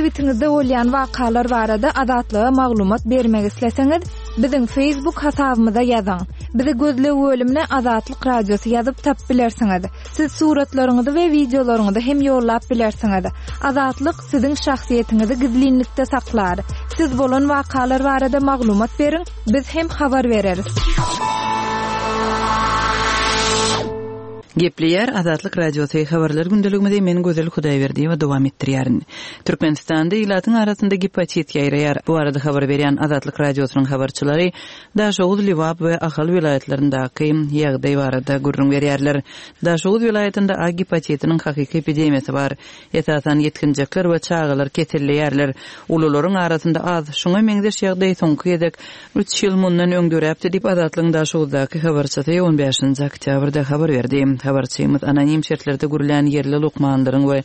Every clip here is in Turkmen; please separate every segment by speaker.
Speaker 1: Sebitiňizde bolýan wakalar barada Azatlyga maglumat bermek isleseňiz, biziň Facebook hasabymyza ýazyň. Bizi gözleg bölümine Azatlyk Radiosy ýazyp tapyp bilersiňiz. Siz suratlaryňyzy we wideolaryňyzy hem ýollap bilersiňiz. Azatlyk siziň şahsyýetiňizi gizlinlikde saklar. Siz bolan wakalar barada maglumat beriň, biz hem habar bereris.
Speaker 2: Gepleýär Azatlyk Radiosy, Habarlar gündeligimizi men Gözel Hudaýberdiýewa dowam etdirýärin. Türkmenistanda ilatyň arasynda gepatit ýaýraýar. Bu barada habar berýän Azatlyk Radiosynyň habarçylary Daşoguz, Lebap we Ahal welaýatlaryndaky ýagdaý barada gürrüň berýärler. Daşoguz welaýatynda A gepatitiniň hakyky epidemiýasy bar. Esasan ýetginjekler we çagalar keselleýärler. Ulularyň arasynda az. Şuňa meňzeş ýagdaý soňky gezek üç ýyl mundan öň döräpdi diýip, Azatlygyň Daşoguzdaky habarçysy on bäşinji oktýabrda habar berdi. Habarçymyz anonim şertlerde gürlän ýerli lukmanlaryň we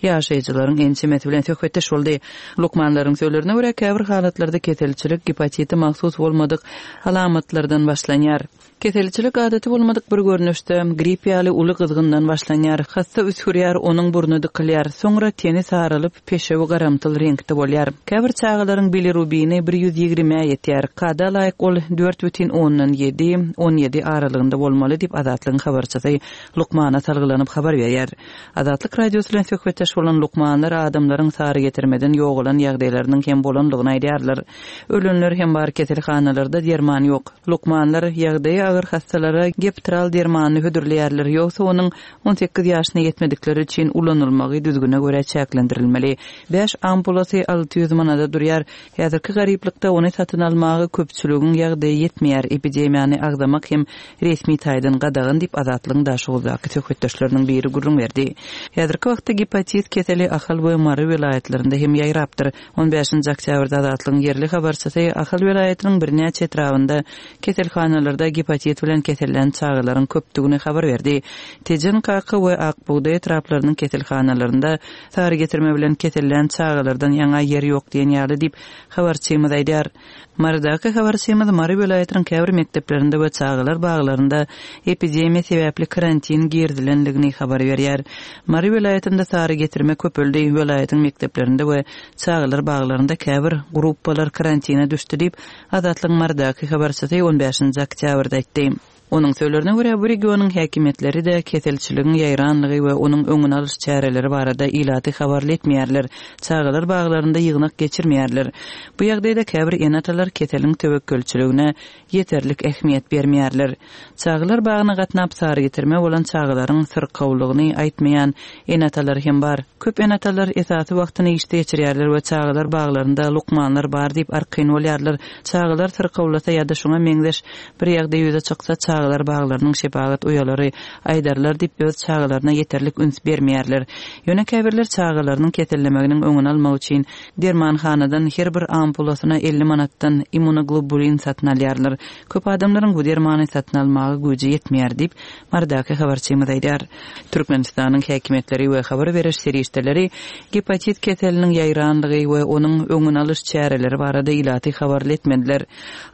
Speaker 2: ýaşaýjylaryň ençemesi bilen söhbetdeş boldy. Lukmanlaryň sözlerine görä, käbir halatlarda keselçilik gepatite mahsus bolmadyk alamatlardan başlanýar. Keselçilik adaty bolmadyk bir görnüşde, grip ýaly uly gyzgyndan başlanýar. Hassa üsgürýär, onuň burny dykylýar. Soňra teni saralyp, peşewi garamtyl reňkde bolýar. Käbir çagalaryň bilirubini bir 120-ä ýetýär. Kada laýyk ol 4,7, 17 aralygynda bolmaly diýip, Azatlygyň habarçysy lukmana salgylanyp habar berýär. Azatlyk Radiosy bilen söhbetdeş bolan lukmanlar adamlaryň sarygetirmeden ýogalan ýagdaýlarynyň hem bolandygyny aýdýarlar. Ölenler hem bar, keselhanalarda derman ýok. Lukmanlar ýagdaýy agyr hassalara Geptral dermanyny hödürleýärler, ýogsa onuň 18 ýaşyna ýetmedikler üçin ulanylmagy düzgüne görä çäklendirilmeli. Bäş ampulasy 600 manada durýar. Häzirki garyplykda ony satyn almaga köpçüligiň ýagdaýy ýetmeýär, epidemiýany agzamak hem resmi taýdan gadagan diýip, Azatlygyň Daşoguzdaky söhbetdeşleriniň biri gürrüň berdi. Häzirki wagtda gepatit keseli Ahal we Mary welaýatlarynda hem ýaýrapdyr. On bäşinji oktýabrda Azatlygyň ýerli habarçysy Ahal welaýatynyň birnäçe etrabynda keselhanalarda gepatit bilen kesellän çagalaryň köpdügini habar berdi. Tejen, Kaka we Ak bugdaý etraplarynyň keselhanalarynda sary getirme bilen kesellän çagalardan ýaňa ýer ýok diýen ýaly diýip, habarçymyz aýdýar. Marydaky habarçymyz Mary welaýatynyň käbir mekdeplerinde we çagalar baglarynda epidemiýa sebäpli karantin girizilendigini habar berýär. Mary welaýatynda sary getirme köpeldi, welaýatyň mekdeplerinde we çagalar baglarynda käbir gruppalar karantina düşdi diýip, Azatlygyň Marydaky habarçysy on bäşinji oktýabrda aýtdy. Onuň sözlerine görä, bu regionyň häkimiýetleri-de keselçiligiň ýaýranlygy we onuň öňüni alyş çäreleri barada ilaty habarly etmeýärler, çagalar baglarynda ýygnak geçirmeýärler. Bu ýagdaýda käbir ene-atalar keseliň töwekgelçiligine ýeterlik ähmiýet bermeýärler. Çagalar bagyna gatnap sarygetirme bolan çagalaryň syrkawlygyny aýtmaýan ene-atalar hem bar. Köp ene-atalar esasy wagtyny işde geçirýärler we çagalar baglarynda lukmanlar bar diýip arkaýyn bolýarlar. Çagalar syrkawlasa ýa-da şuňa meňzeş Bir ýagdaý ýüze çyksa, çagalar baglarynyň şepagat uýalary aýdarlar diýip, öz çagalaryna ýeterlik üns bermeýärler. Ýöne käbirler çagalarynyň kesellemeginiň öňüni almak üçin dermanhanadan her bir ampulasyna 50 manatdan immunoglobulin satyn alýarlar. Köp adamlaryň bu dermany satyn almaga güýji ýetmeýär diýip, Marydaky habarçymyz aýdýar. Türkmenistanyň häkimiýetleri we habar beriş serişdeleri gepatit keseliniň ýaýranlygy we onuň öňüni alyş çäreleri barada ilaty habarly etmediler.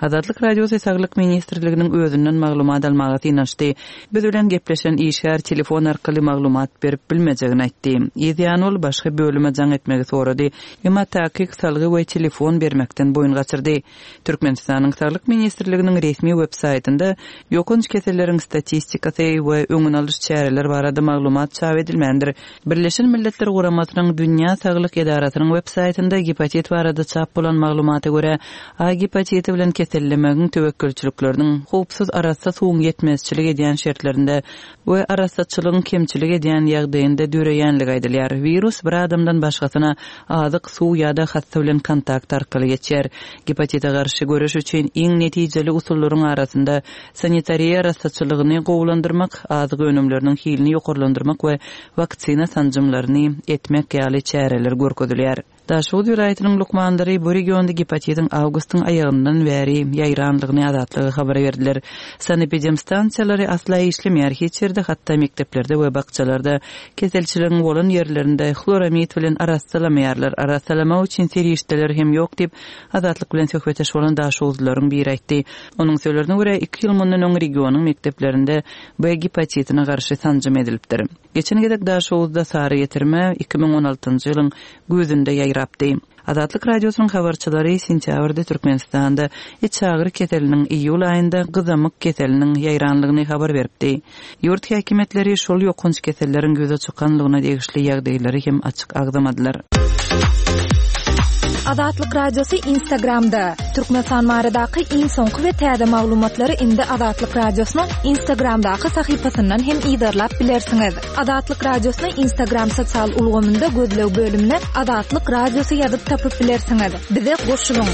Speaker 2: Azatlyk Radiosy Saglyk ministrliginiň özünden maglumat almaga synanyşdy. Biz bilen gepleşen işgär telefon arkaly maglumat berip bilmejegini aýtdy. Yz ýany ol başga bölüme jaň etmegi sorady, emma takyk salgy we telefon bermekden boýun gaçyrdy. Türkmenistanyň Saglyk ministrliginiň resmi web saýtynda ýokanç keselleriň statistikasy we öňüni alyş çäreler barada maglumat çap edilmändir. Birleşen Milletler Guramasynyň Dünýä saglyk edarasynyň web saýtynda gepatit barada çap bolan maglumata görä, A gepatiti bilen kesellemegiň töwekgelçilikleriniň howpsuz arassa suwuň ýetmezçilik edýän şertlerinde we arassaçylygyň kemçilik edýän ýagdaýynda döreýänligi aýdylýar. Wirus bir adamdan başgasyna azyk, suw ýa-da hassa bilen kontakt arkaly geçýär. Gepatite garşy göreş üçin iň netijeli usullaryň arasynda sanitariýa arassaçylygyny gowulandyrmak, azyk önümleriniň hilini ýokarlandyrmak we waksina sanjymlaryny etmek ýaly çäreler görkezilýär. Daşoguz welaýatynyň lukmanlary bu regionda gepatitiň awgustyň aýagyndan bäri ýaýrandygyny Azatlyga habar berdiler. Sanepidemstansiýalary asla işlemeýär, hiç ýerde, hatda mekdeplerde we bakjalarda, keselçiligiň bolan ýerlerinde hloramid bilen arassalamaýarlar, arassalamak üçin serişdeler hem ýok diýip, Azatlyk bilen söhbetdeş bolan daşoguzlylaryň biri aýtdy. Onuň sözlerine görä, iki ýyl mundan öň regionyň mekdeplerinde B gepatitine garşy sanjym edilipdir. Geçen gezek Daşoguzda sary getirme 2016-njy ýylyň güýzünde ýaýrapdy. ýaýrapdy. Azatlyk Radiosynyň habarçylary sentýabrda Türkmenistanda içagyry keseliniň, iýul aýynda gyzamyk keseliniň ýaýranlygyny habar beripdi. Ýurt häkimiýetleri şol ýokanç keselleriň ýüze çykanlygyna degişli ýagdaýlary hem açyk agzamadylar.
Speaker 1: Azatlyk Radiosy Instagramda, Türkmenistan baradaky iň soňky we täze maglumatlary indi Azatlyk Radiosynyň Instagramdaky sahypasyndan hem yzarlap bilersiňiz. Azatlyk Radiosyny Instagram sosial ulgamynda gözleg bölümine Azatlyk Radiosy ýazyp tapyp bilersiňiz. Bize goşulyň!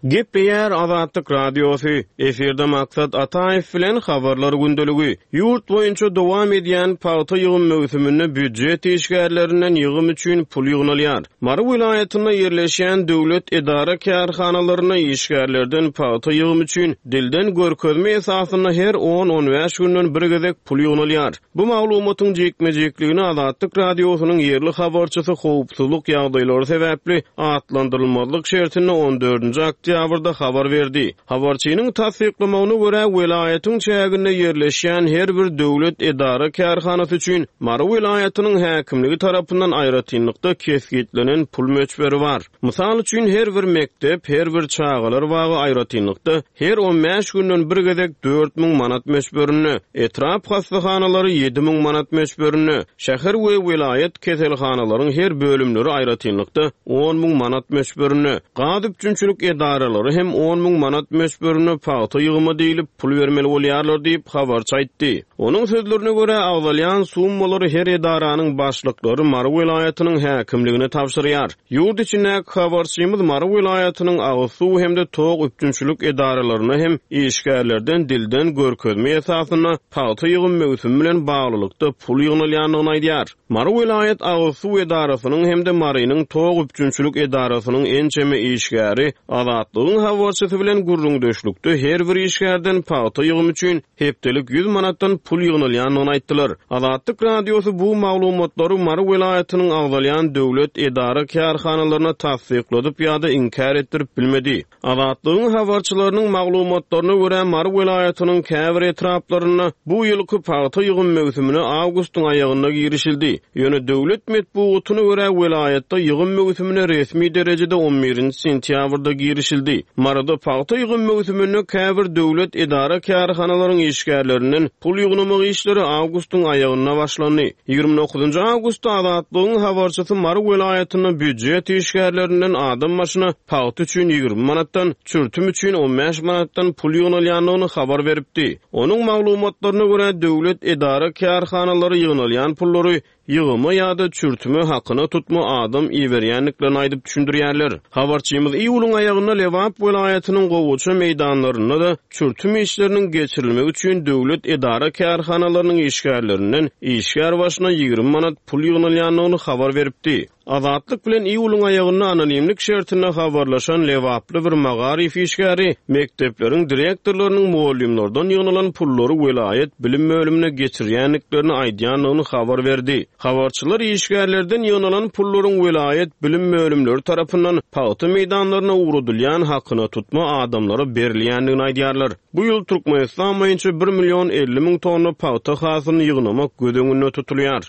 Speaker 3: Gepleýär Azatlyk Radiosy, efirde Maksat Ataýew bilen Habarlar gündeligi. Ýurt boýunça dowam edýän pagta ýygym möwsüminde býujet işgärlerinden ýygym üçin pul ýygnalýar. Mary welaýatynda ýerleşýän döwlet edara-kärhanalarynda işgärlerden pagta ýygymy üçin dilden görkezme esasynda her on-on bäş günden bir gezek pul ýygnalýar. Bu maglumatyň jikme-jikligini Azatlyk Radiosynyň ýerli habarçysy howpsuzlyk ýagdaýlary sebäpli atlandyrylmazlyk şertinde on dördünji oktýabrda habar berdi. Habarçynyň tassyklamagyna görä, welaýatyň çäginde ýerleşýän her bir döwlet edara-kärhanasy üçin Mary welaýatynyň häkimligi tarapyndan aýratynlykda kesgitlenen pul möçberi bar. Mysal üçin, her bir mekdep, her bir çagalar bagy aýratynlykda her on bäş günden bir gezek 4000 manat möçberinde, etrap hassahanalary 7000 manat möçberinde, şäher we welaýat keselhanalaryň her bölümleri aýratynlykda 10 müň manat möçberinde, gaz üpjünçilik edaralary hem on müň manat möçberinde pagta ýygyma diýlip pul bermeli bolýarlar diýip, habarçy aýtdy. Onuň sözlerine görä, agzalýan summalary her edaranyň başlyklary Mary welaýatynyň häkimligine tabşyrýar. Ýurt içindäki habarçymyz Mary welaýatynyň agyz suw hem-de tok üpjünçilik edaralarynda hem işgärlerden dilden görkezme esasynda pagta ýygym möwsümi bilen baglylykda pul ýygnalýandygyny aýdýar. Mary welaýat agyz suw edarasynyň hem-de Marynyň tok üpjünçilik edarasynyň ençeme işgäri Azatlygyň habarçysy bilen gürrüňdeşlikde her bir işgärden pagta ýygymy üçin hepdelik 100 manatdan pul ýygnalýandygyny aýtdylar. Azatlyk Radiosy bu maglumatlary Mary welaýatynyň agzalýan döwlet edara-kärhanalaryna tassykladyp ýa-da inkär etdirip bilmedi. Azatlygyň habarçylarynyň maglumatlaryna görä, Mary welaýatynyň käbir etraplarynda bu ýylky pagta ýygym möwsümine awgustyň aýagynda girişildi. Ýöne döwlet metbugatyna görä, welaýatda ýygym möwsümine resmi derejede on birinji sentýabrda girişildi. Maryda pagta ýygym möwsüminde käbir döwlet edara-kärhanalaryň işgärlerinden pul ýygnamak işleri awgustyň aýagynda başlandy. 29 awgustda Azatlygyň habarçysy Mary welaýatynda býujet işgärlerinden adam başyna pagta üçin 20 manatdan, çürtüm üçin 15 manatdan pul ýygnalýandygyny habar beripdi. Onuň maglumatlaryna görä, döwlet edara-kärhanalary ýygnalýan pullary ýygyma ýa-da çürtüme hakyna tutma adam iberýändiklerini aýdyp düşündirýärler. Habarçymyz iýulyň aýagynda Lebap welaýatynyň gowaça meýdanlarynda-da çürtüm işleriniň geçirilmegi üçin döwlet edara-kärhanalarynyň işgärlerinden işgär başyna 20 manat pul ýygnalýandygyny habar beripdi. Azatlyk bilen iýulyň aýagynda anonimlik şertinde habarlaşan lebaply bir magaryf işgäri mekdepleriň direktorlarynyň mugallymlardan ýygnalan pullary welaýat bilim bölümine geçirýändiklerini aýdýandygyny habar berdi. Habarçylar işgärlerden ýygnalan pullaryň welaýat bilim bölümleri tarapyndan pagta meýdanlaryna ugradylýan hakyna tutma adamlara berilýändigini aýdýarlar. Bu ýyl Türkmenistan boýunça bir million 50 müň tonna pagta hasylyny ýygnamak göz öňünde tutulýar.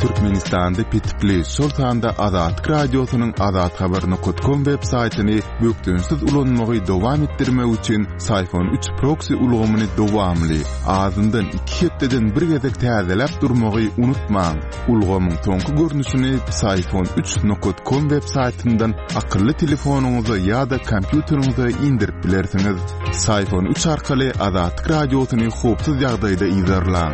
Speaker 4: Türkmenistanda petikli, şol sanda Azatlyk Radiosynyň azathabar.com web saýtyny bökdençsiz ulanmagy dowam etdirmek üçin Syfon 3 proksi ulgamyny dowamly, azyndan iki hepdeden bir gezek täzeläp durmagy unutmaň. Ulgamyň soňky görnüşini Psiphon 3 nokat com web saýtyndan akylly telefonyňyza ýa-da kompýuteriňize indirip bilersiňiz. Psiphon 3 arkaly Azatlyk Radiosyny howpsuz ýagdaýda yzarlaň.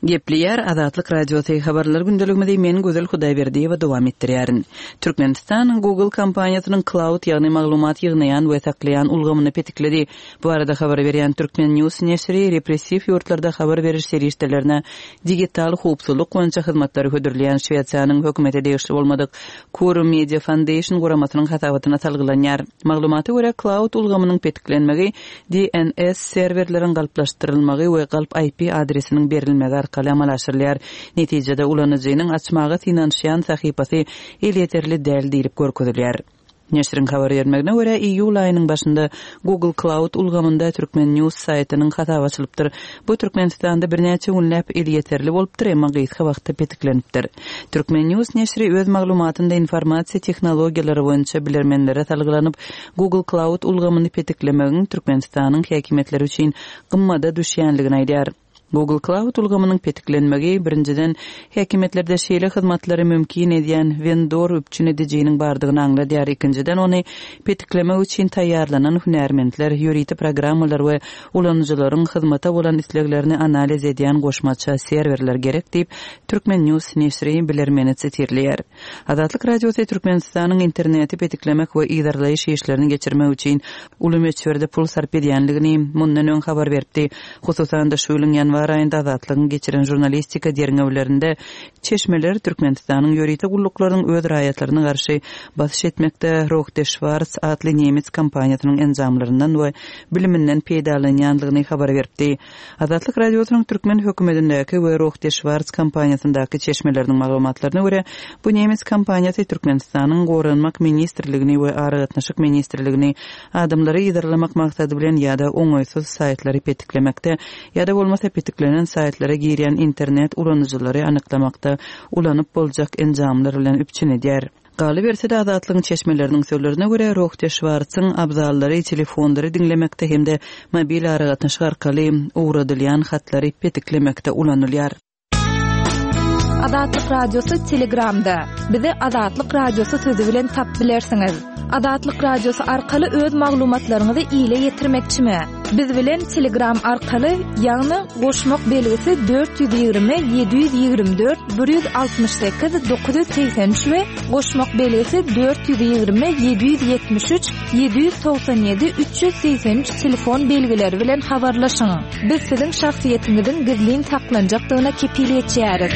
Speaker 2: Gepleýär Azatlyk Radiosy, Habarlar gündeligimizi men Gözel Hudaýberdiýewa dowam etdirýärin. Türkmenistan Google kompaniýasynyň Cloud ýagny maglumat ýygnaýan we saklaýan ulgamyny petikledi. Bu barada habar berýän Turkmen News neşiri repressiw ýurtlarda habar beriş serişdelerine digital howpsuzlyk boýunça hyzmatlary hödürleýän Şwesiýanyň hökümete degişli bolmadyk Quorum Media Foundation guramasynyň hasabatyna salgylanýar. Maglumata görä, Cloud ulgamynyň petiklenmegi DNS serwerleriň galplaşdyrylmagy we galp IP adresiniň berilmegi arkaly amala aşyrylýar. Netijede, ulanyjynyň açmaga synanyşýan sahypasy elýeterli däl diýlip görkezilýär. Neşiriň habar bermegine görä, iýul aýynyň başynda Google Cloud ulgamynda Turkmen. News saýtynyň hasaby açylypdyr. Bu Türkmenistanda birnäçe günläp elýeterli bolupdyr, emma gysga wagtda petiklenipdir. Turkmen. News neşiri öz maglumatynda informasiýa tehnologiýalary boýunça bilermenlere salgylanyp, Google Cloud ulgamyny petiklemegiň Türkmenistanyň häkimiýetleri üçin gymmada düşýänligini aýdýar. Google Cloud ulgamynyň petiklenmegi, birinjiden, häkimiýetlerde şeýle hyzmatlary mümkin edýän wendor üpjün edijiniň bardygyny aňladýar, ikinjiden, ony petiklemek üçin taýýarlanan hünärmentler, ýörite programmalar we ulanyjylaryň hyzmata bolan isleglerini analiz edýän goşmaça serwerler gerek diýip, Turkmen. News neşiri bilermeni sitirleýär. Azatlyk Radiosy Türkmenistanyň interneti petiklemek we yzarlaýyş işlerini geçirmek üçin uly möçberde pul sarp edýändigini mundan öň habar beripdi. Hususan-da, şu ýylyň ýanwar aýynda Azatlygyň geçiren žurnalistika derňewlerinde çeşmeler Türkmenistanyň ýörite gulluklarynyň öz raýatlaryna garşy basyş etmekde Rohde Schwarz atly nemes kompaniýasynyň enjamlaryndan we biliminden peýdalanýandygyny habar beripdi. Azatlyk Radiosynyň türkmen hökümetindäki we Rohde Schwarz kompaniýasyndaky çeşmeleriniň maglumatlaryna görä, bu nemes kompaniýasy Türkmenistanyň Goranmak ministrligini we Aragatnaşyk ministrligini adamlary yzarlamak maksady bilen ýa-da oňaýsyz saýtlary petiklemekde ýa-da bolmasa petiklenen saýtlara girýän internet ulanyjylary anyklamakda ulanyp boljak enjamlar bilen üpjün edýär. Galyberse-de, Azatlygyň çeşmeleriniň sözlerine görä, Rohde Şwartsyň abzallary telefonlary diňlemekde hem-de mobil aragatnaşyk arkaly ugradylýan hatlary petiklemekde ulanylýar.
Speaker 1: Azatlyk Radiosy Telegramda. Bizi Azatlyk Radiosy sözi bilen tap bilersiňiz. Azatlyk Radiosy arkaly öz maglumatlaryňyzy ile ýetirmekçimi? Biz bilen Telegram arkaly, ýagny goşmak belgisi 420 724 168 983 we goşmak belgisi 420 773 797 383 telefon belgileri bilen habarlaşyň. Biz siziň şahsyýetiňiziň gizlin saklanjakdygyna kepil geçýäris.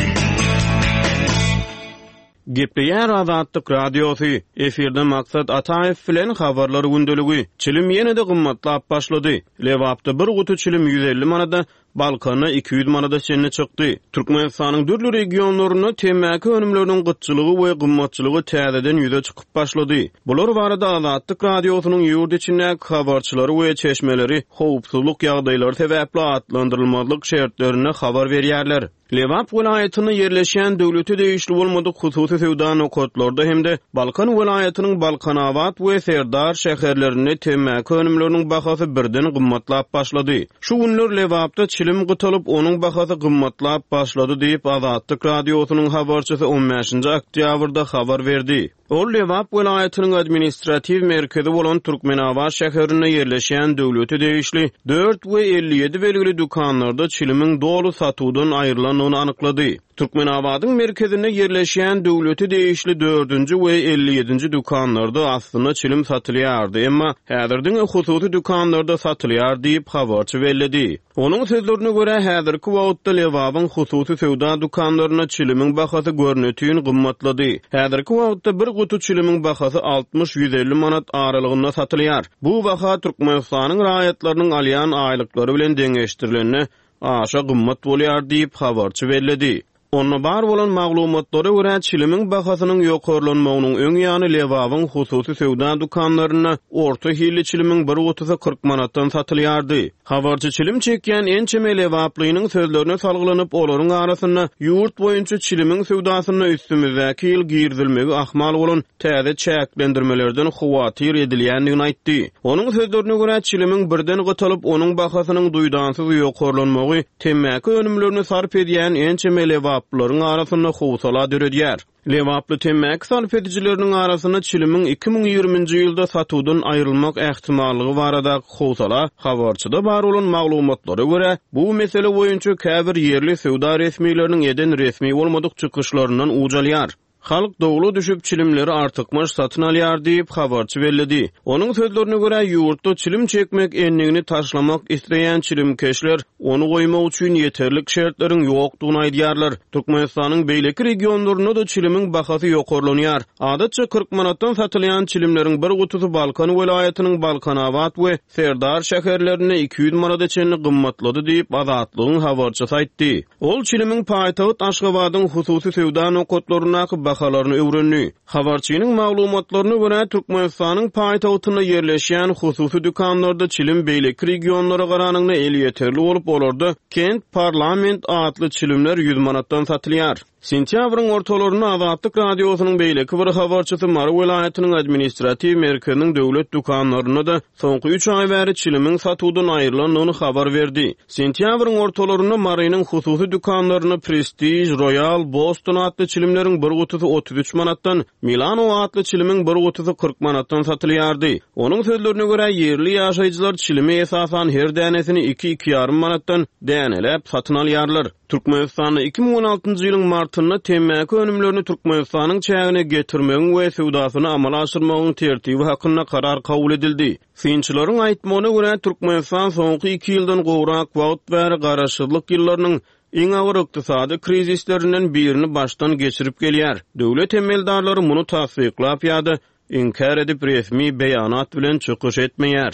Speaker 3: Gepleýär Azatlyk Radiosy, Efirde Maksat Ataýew bilen Habarlar gündeligi. Çilim ýene-de gymmatlap başlady. Lebapda bir guty çilim 150 manada, Balkanda 200 manada çenli çykdy. Türkmenistanyň dürli regionlarynda temmäki önümleriniň gytçylygy we gymmatçylygy täzeden ýüze çykyp başlady. Bular barada Azatlyk Radiosynyň ýurt içindäki habarçylary we çeşmeleri howpsuzlyk ýagdaýlary sebäpli atlandyrylmazlyk şertlerinde habar berýärler. Lebap welaýatynda ýerleşýän döwlete degişli bolmadyk hususy söwda nokatlarda hem-de Balkan welaýatynyň Balkanabat we Serdar şäherlerinde temmäki önümleriniň bahasy birden gymmatlap başlady. Şu günler Lebapda çilim gytalyp, onuň bahasy gymmatlap başlady diýip, Azatlyk Radiosynyň habarçysy on bäşinji oktýabrda habar berdi. Ol Lebap welaýatynyň administratiw merkezi bolan Türkmenabat şäherinde ýerleşýän döwlete degişli dört we 57 belgili dükanlarda çilimiň doly satuwdan aýrylandygyny anyklady. Türkmenabadyň merkezinde ýerleşýän döwlete degişli dördünji we 57-nji dükanlarda aslynda çilim satylýardy, emma häzir diňe hususy dükanlarda satylýar diýip, habarçy belledi. Onuň sözlerine görä, häzirki wagtda Lebabyň hususy söwda dükanlarynda çilimiň bahasy görnetin gymmatlady. Häzirki wagtda bir guty çilimiň bahasy altmyş-ýüz elli manat aralygynda satylýar. Bu baha Türkmenistanyň raýatlarynyň alýan aýlyklary bilen deňeşdirilende, aşa gymmat bolýar diýip, habarçy belledi. Onda bar bolan maglumatlara görä, çilimiň bahasynyň ýokarlanmagynyň öň ýany Lebabyň hususy söwda dükanlarynda orta hilli çilimiň bir gutusy 40 manatdan satylýardy. Habarçy çilim çekýän ençeme lebaplynyň sözlerine salgylanyp, olaryň arasynda ýurt boýunça çilimiň söwdasynda üstümizdäki ýyl girizilmegi ahmal bolan täze çäklendirmelerden howatyr edilýändigini aýtdy. Onuň sözlerine görä, çilimiň birden gytalyp, onuň bahasynyň duýdansyz ýokarlanmagy Temmäki önümlerini sarp edýän ençeme lebaplylaryň arasynda howsala döredýär. Lebaply temmäki sarp edijileriniň arasynda çilimiň 2020-nji ýylda satuwdan aýrylmak ähtimallygy baradaky howsala habarçyda bar bolan maglumatlara görä, bu mesele boýunça käbir ýerli söwda resmileriniň eden resmi bolmadyk çykyşlaryndan uç alýar. Halk dowla düşüp, çilimleri artykmaç satyn alýar diýip, habarçy belledi. Onuň sözlerine görä, ýurtda çilim çekmek endigini taşlamak isleýän çilimkeşler ony goýmak üçin ýeterlik şertleriň ýokdugyny aýdýarlar. Türkmenistanyň beýleki regionlarynda-da çilimiň bahasy ýokarlanýar. Adatça 40 manatdan satylýan çilimleriň bir gutusy Balkan welaýatynyň Balkanabat we Serdar şäherlerinde 200 manada çenli gymmatlady diýip, Azatlygyň habarçysy aýtdy. Ol çilimiň paýtagt Aşgabadyň hususy söwda nokatlaryndaky baha. bahalaryny öwrendi. Habarçynyň maglumatlaryna görä, Türkmenistanyň paýtagtynda ýerleşýän hususy dükanlarda çilim beýleki regionlara garanyňda elýeterli bolup, olarda Kent Parlament atly çilimler 100 manatdan satylýar. Sentýabryň ortalarynda Azatlyk Radiosynyň beýleki bir habarçysy Mary welaýatynyň administratiw merkeziniň döwlet dükanlarynda-da soňky üç aý bäri çilimiň satuwdan aýrylandygyny habar berdi. Sentýabryň ortalarynda Marynyň hususy dükanlarynda Prestij, Roýal, Boston atly çilimleriň bir gutusy 33 manatdan, Milano atly çilimiň bir gutusy 40 manatdan satylýardy. Onuň sözlerine görä, ýerli ýaşaýjylar çilimi esasan her dänesini iki-iki ýarym manatdan däneläp satyn alýarlar. Türkmenistanda 2016-njy ýylyň martynda temmäki önümlerini Türkmenistanyň çägine getirmegiň we söwdasyny amala aşyrmagyň tertibi hakynda karar kabul edildi. Synçylaryň aýtmagyna görä, Türkmenistan soňky iki ýyldan gowrak wagt bäri garaşsyzlyk ýyllarynyň iň agyr ykdysady krizislerinden birini başdan geçirip gelýär. Döwlet emeldarlary muny tassyklap ýa-da inkär edip resmi beýanat bilen çykyş etmeýär.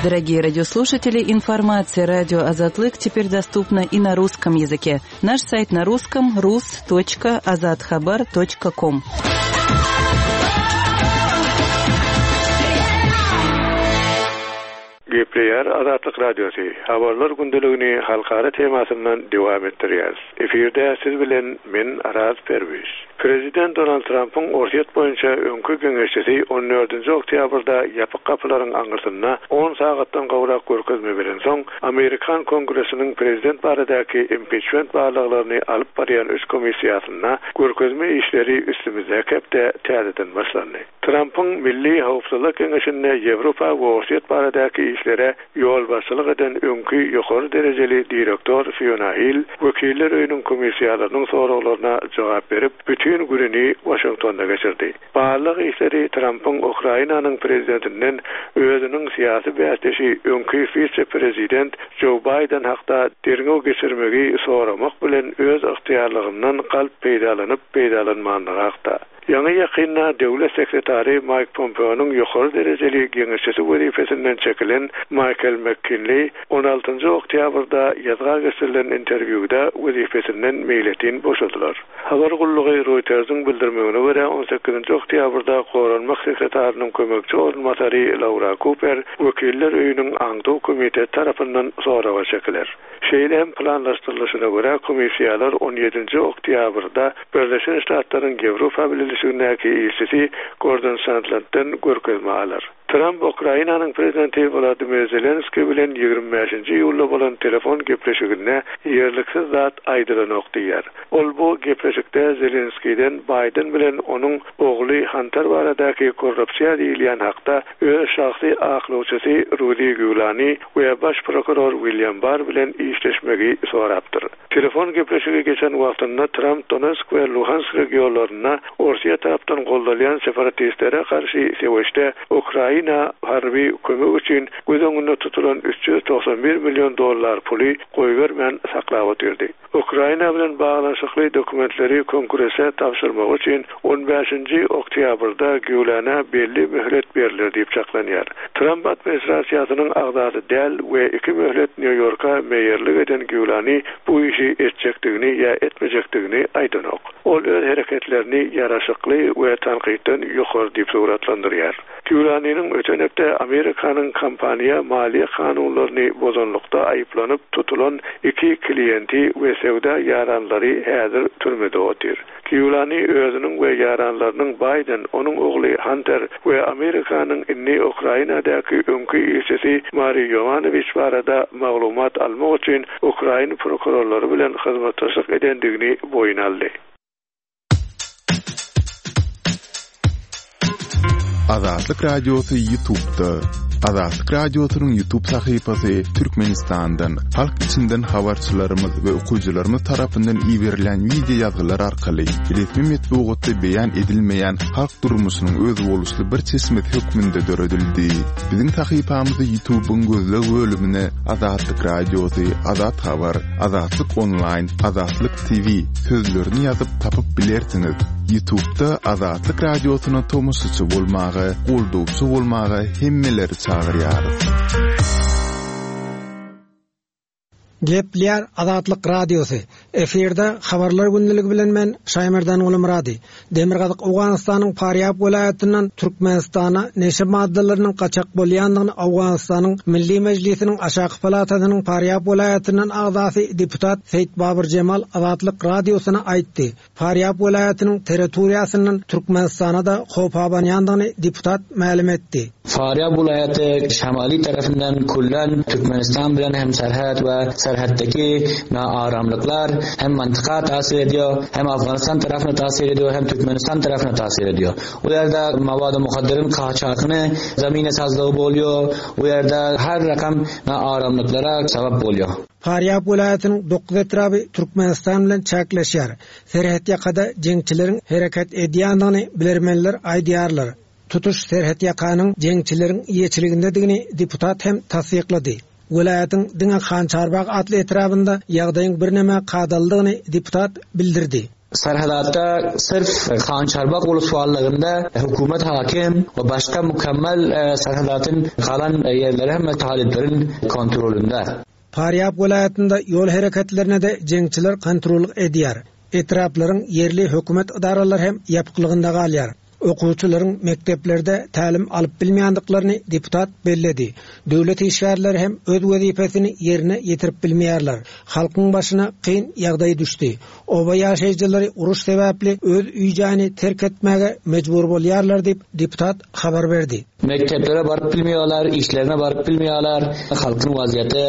Speaker 2: Дорогие радиослушатели, информация радио Азатлык теперь доступна и на русском языке. Наш сайт на русском rus.azathabar.com.
Speaker 5: Gepleýär Azatlyk Radiosy, Habarlar gündeligini halkara temasyndan dowam etdirýäris. Efirde siz bilen men Araz Perwiz. Prezident Donald Trampyň Orsýet boýunça öňki geňeşçisi on dördünji oktýabrda ýapyk gapylaryň aňyrsynda on sagatdan gowrak görkezme berensoň, amerikan Kongresiniň prezident baradaky impiçment barlaglaryny alyp barýan üç komissiýasynda görkezme işleri üstümizdäki hepde täzeden başlandy. Trampyň Milli howpsuzlyk geňeşinde Ýewropa we Orsýet baradaky işlere ýolbaşçylyk eden öňki ýokary derejeli direktor Fiona Hill Wekiller öýüniň komissiýalarynyň soraglaryna jogap berip, bütin gününi Waşingtonda geçirdi. Barlag işleri Trampyň Ukrainanyň prezidentinden özüniň syýasy bäsdeşi öňki wise-prezident Jo Baýden hakda derňew geçirmegi soramak bilen öz ygtyýarlygyndan galp peýdalanyp-peýdalanmanlygy hakda. Ýaňy-ýakynda döwlet sekretary Maýk Pompeonyň ýokary derejeli geňeşçisi wezipesinden çekilen Maýkel MkKinli on altynjy oktýabrda ýazga geçirilen interwýuda wezipesinden meýletin boşadylar. Habar gullugy Reuters-iň bildirmegine görä, on sekizinji oktýabrda goranmak sekretarynyň kömekçi orunbasary Laura Kuper Wekiller öýüniň aňtaw komiteti tarapyndan soraga çekiler. Şeýle hem planlaşdyrylyşyna görä, komissiýalar on ýedinji oktýabrda Birleşen Ştatlaryň Ýewropa Bileleşigindäki ilçisi Gordon Sandlanddan görkezme alar. Tramp Ukrainanyň prezidenti Wladimir Zelenskiý bilen 25-nji iýulda bolan telefon gepleşiginde ýerliksiz zat aýdylanok diýýär. Ol bu gepleşikde Zelenskiýden Baýden bilen onuň ogly Hanter baradaky korrupsiýa diýilýän hakda öz şahsy aklawçysy Rudi Giulani we baş prokuror William Barr bilen işleşmegi sorapdyr. Telefon gepleşigi geçen wagtynda Tramp Donetsk we Luhansk regionlarynda Orsýet tarapdan goldalýan separatistlere garşy söweşde Ukraina harby kömek üçin göz öňünde tutulan 391 million dollar puly goýbermän saklap otyrdy. Ukraina bilen baglanyşykly dokumentleri Kongrese tabşyrmagy üçin on bäşinji oktýabrda Gýulana belli möhlet berler diýip çaklanýar. Tramp administrasiýasynyň agzasy däl we iki möhlet Nýu-Ýorka meýerlik eden Gýulani bu işi etjekdigini ýa etmejekdigini aýdanok. Ol öz hereketlerini ýaraşykly we tankytdan ýokary diýip suratlandyrýar. Giulianiniň öten hepde Amerikanyň kompaniýa maliýe kanunlaryny bozanlykda aýyplanyp tutulan iki kliýenti we söwda ýaranlary häzir türmede otyr. Giuliani özüniň we ýaranlarynyň Baýden, onuň ogly Hanter we Amerikanyň indi Ukrainadaky öňki ilçisi Mari Ýowanowiç barada maglumat almak üçin ukrain prokurorlary bilen hyzmatdaşlyk edendigini boýun aldy.
Speaker 4: Azatlyk Radiosy YouTube'da. Azatlyk Radiosynyň YouTube sahypasy Türkmenistandan, halk içinden habarçylarymyz we okyjylarymyz tarapyndan iberilen wideo ýazgylar arkaly resmi metbugatda beýan edilmeýän halk durmuşynyň özboluşly bir çeşmesi hökmünde döredildi. Biziň sahypamyzy YouTube'yň gözleg bölümine Azatlyk Radiosy, Azat Habar, Azatlyk Onlaýn, Azatlyk TV sözlerini ýazyp tapyp bilersiňiz. Ýutubda Azatlyk Radiosyna tomaşaçy bolmaga, goldawçy bolmaga hemmeleri çagyrýarys.
Speaker 6: Gepleýär Azatlyk Radiosy. Efirde Habarlar gündeligi bilen men Şaýmerdan Gulumyrady. Demirgazyk Owganystanyň Farýab welaýatyndan Türkmenistana neşe maddalarynyň gaçak bolýandygyny Owganystanyň Milli Mejlisiniň aşaky palatasynyň Farýab welaýatyndan agzasy deputat Seýitbabur Jemal Azatlyk Radiosyna aýtdy. Farýab welaýatynyň territoriýasyndan Türkmenistana-da howp abanýandygyny deputat mälim etdi.
Speaker 7: Farýab welaýaty şemaly tarapyndan küllen Türkmenistan bilen hem serhet we serhetdeki naaramlyklar hem mantyka täsir edýär, hem Afganistan tarapyna täsir edýär, hem Türkmenistan tarapyna täsir edýär. O ýerde mawady muhadderin kaçakyny zemine sazlygy bolýar, o ýerde her rakam naaramlyklara sebäp bolýar.
Speaker 6: Farýab welaýatynyň dokuz etraby Türkmenistan bilen çäkleşýär. Serhetýakada jeňçileriň hereket edýändigini bilermenler aýdýarlar. Tutuş serhetýakanyň jeňçileriň eýeçiligindedigini deputat hem tassyklady. Welaýatyň diňe Hançarbag atly etrabynda ýagdaýyň birneme kadalydygyny deputat bildirdi.
Speaker 7: Serhedatda syrf Hançarbag uluswallygynda hökümet hakim we başga mükemmel serhedatyn galan ýerleri hemme talyplaryň kontrolynda.
Speaker 6: Farýab welaýatynda ýol hereketlerine-de jeňçiler kontrollyk edýär. Etraplaryň ýerli hökümet ydaralary hem ýapyklygynda galýar. Okuwçylaryň mekdeplerde tälim alyp bilmeýändiklaryny deputat belledi. Döwlet işgärleri hem öz wezipesini ýerine ýetirip bilmeýärler. Halkyň başyna kyn ýagdaý düşdi. Oba ýaşaýjylary uruş sebäpli öz öý-jaýyny terk etmäge mejbur bolýarlar diýip, deputat habar berdi.
Speaker 7: Mekdeplere baryp bilmeýärler, işlerine baryp bilmeýärler. Halkyň wazýeti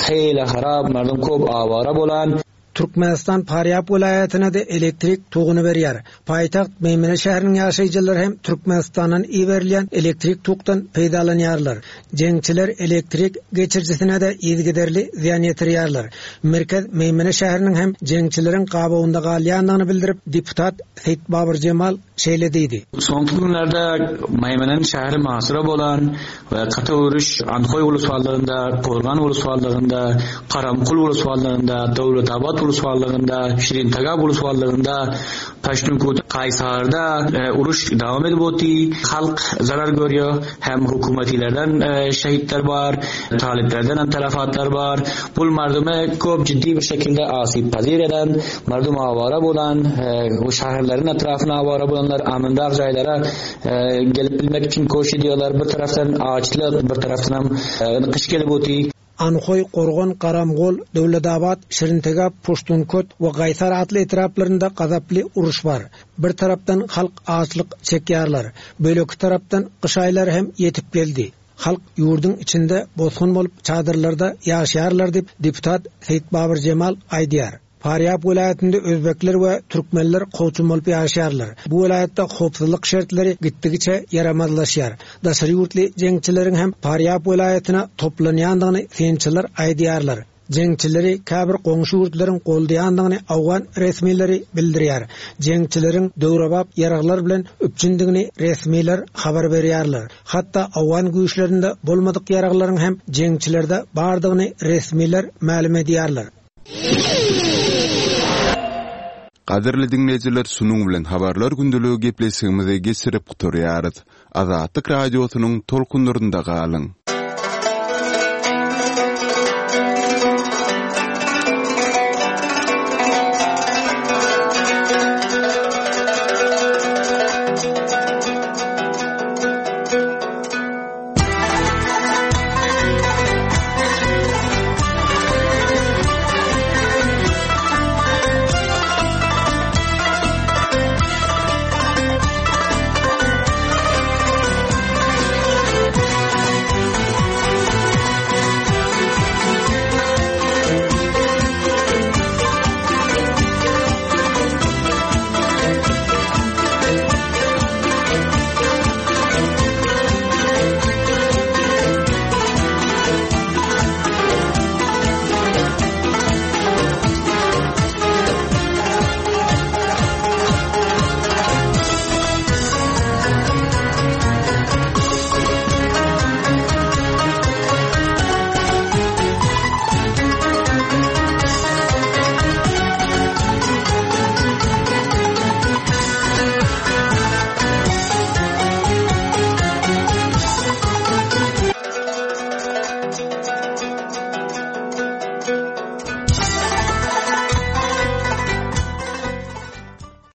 Speaker 7: heýle harap, merdum köp awara bolan.
Speaker 6: Türkmenistan Farýab welaýatyna-da elektrik toguny berýär. Paýtagt Meýmene şäheriniň ýaşaýjylary hem Türkmenistandan iberilýän elektrik tokdan peýdalanýarlar. Jeňçiler elektrik geçirijisine-de yzygiderli zyýan ýetirýärler. Merkez Meýmene şäheriniň hem jeňçileriň gabawynda galýandygyny bildirip, deputat Seýitbabur Jemal şeýle diýdi.
Speaker 7: Soňky günlerde Meýmenen şäheri muhasyra bolan we gaty uruş Andhoý uluswallygynda, Gorgan uluswallygynda, Karamkul uluswallygynda, Döwletabat uluswallygynda, Şirintagap uluswallygynda, Paştunkut, Kaýsarda uruş dowam edip oty. Halk zarar görýär, hem hökümetilerden şehitler bar, talyplardan hem telefatlar bar. Bul mardumy köp ciddi bir şekilde asyp pazir eden, mardum awara bolan, şäherleriň etrafyna awara bolanlar amynrak jaýlara Gelip bilmek üçin koş edýärler. Bir tarapdan açlyk, bir tarapdanam gyş gelip oty.
Speaker 6: Anhoý, Gorgan, Garamgol, Döwletabat, Şirintegap, Puştunkot we Gaýsar atly etraplarynda gazaply uruş bar. Bir tarapdan halk açlyk çekýärler. Beýleki tarapdan gyş aýlary hem ýetip geldi. Halk ýurduň içinde bosgun bolup çadyrlarda ýaşaýarlar diýip, deputat Seýitbabur Jemal aýdýar. Farýab welaýatynda özbekler we türkmenler kowçum bolup ýaşaýarlar. Bu welaýatda howpsuzlyk şertleri gitdigiçe ýaramazlaşýar. Daşary ýurtly jeňçileriň hem Farýab welaýatyna toplanýandygyny synçylar aýdýarlar. Jeňçileri käbir goňşy ýurtlaryň goldaýandygyny owgan resmileri bildirýär. Jeňçileriň döwrebap ýaraglar bilen üpjündigini resmiler habar berýärler. Hatda owgan güýçlerinde bolmadyk ýaraglaryň hem jeňçilerde bardygyny resmiler mälim edýärler.
Speaker 4: Gadyrly diňleýjiler şunuň bilen habarlar gündeligi gepleşigimizi geçirip gutarýarys. Azatlyk Radiosynyň tolkunlarynda galyň.